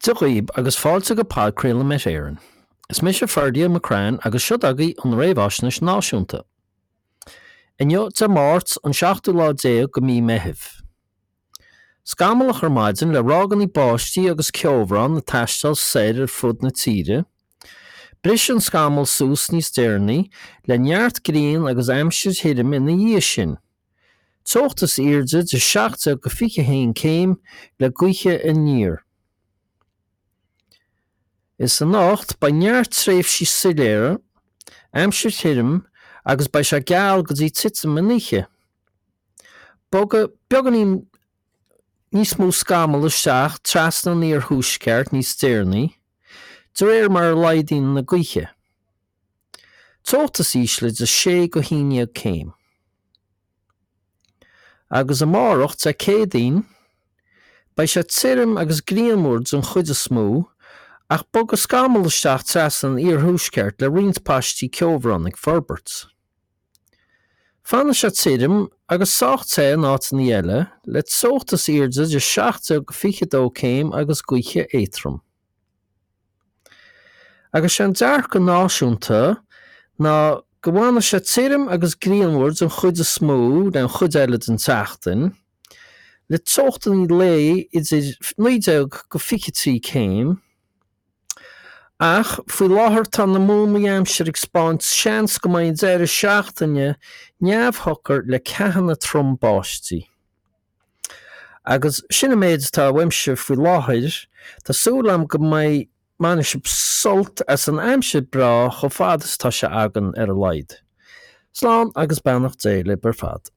Dia dhaoib agus fáilte go podchraoladh Met Éireann. Is mise Ferdia McCrann agus seo agaibh an Réamhaisnéis Náisiúnta. Inniu, Dé Máirt, an seachtú lá déag de mí Meithimh. Scamallach ar maidin le ráigeanna báistí agus ceobhrán ag taisteal soir ar fud na tíre. Brisfidh an scamall suas níos deireanaí le neart grian agus aimsir thirim ina dhiaidh sin. Teocht is airde de 17 go 21 céim le gaotha aniar. Is anocht beidh neart tréimhsí soiléire, aimsir thirim agus beidh sé geal go dtí titim an oíche. Bogfaidh beagáinín níos mó scamall isteach trasna an iarthuaisceart níos deireanaí, de réir mar a laghdaíonn na gaotha. Teocht is ísle de 6 go 11 céim. Agus amárach, Dé Céadaoin, beidh sé tirim agus grianmhar den chuid is mó, ach bogfaidh scamall isteach trasna an iarthuaisceart le roinnt paistí ceobhrán ag forbairt. Fanfaidh sé tirim agus sách te in áiteanna eile, le teocht is airde de 17 go 22 céim agus gaoithe éadtrom. Agus sé an dearcadh náisiúnta ná go bhfanfaidh sé tirim agus grianmhar den chuid is mó den chuid eile den tseachtain, le teochtanna lae idir 19 go 23 céim. Ach faoi láthair tá na múnlaí aimsire ag 'spáint seans go mbeidh an deireadh seachtaine neamhshocair le ceathanna trom báistí. Agus sin an méid atá uaimse faoi láthair. Tá súil agam go mbeidh, mbainfidh sibh sult as an aimsir breá chomh fada is atá sé againn ar a laghad. Slán agus beannacht Dé libh ar fad.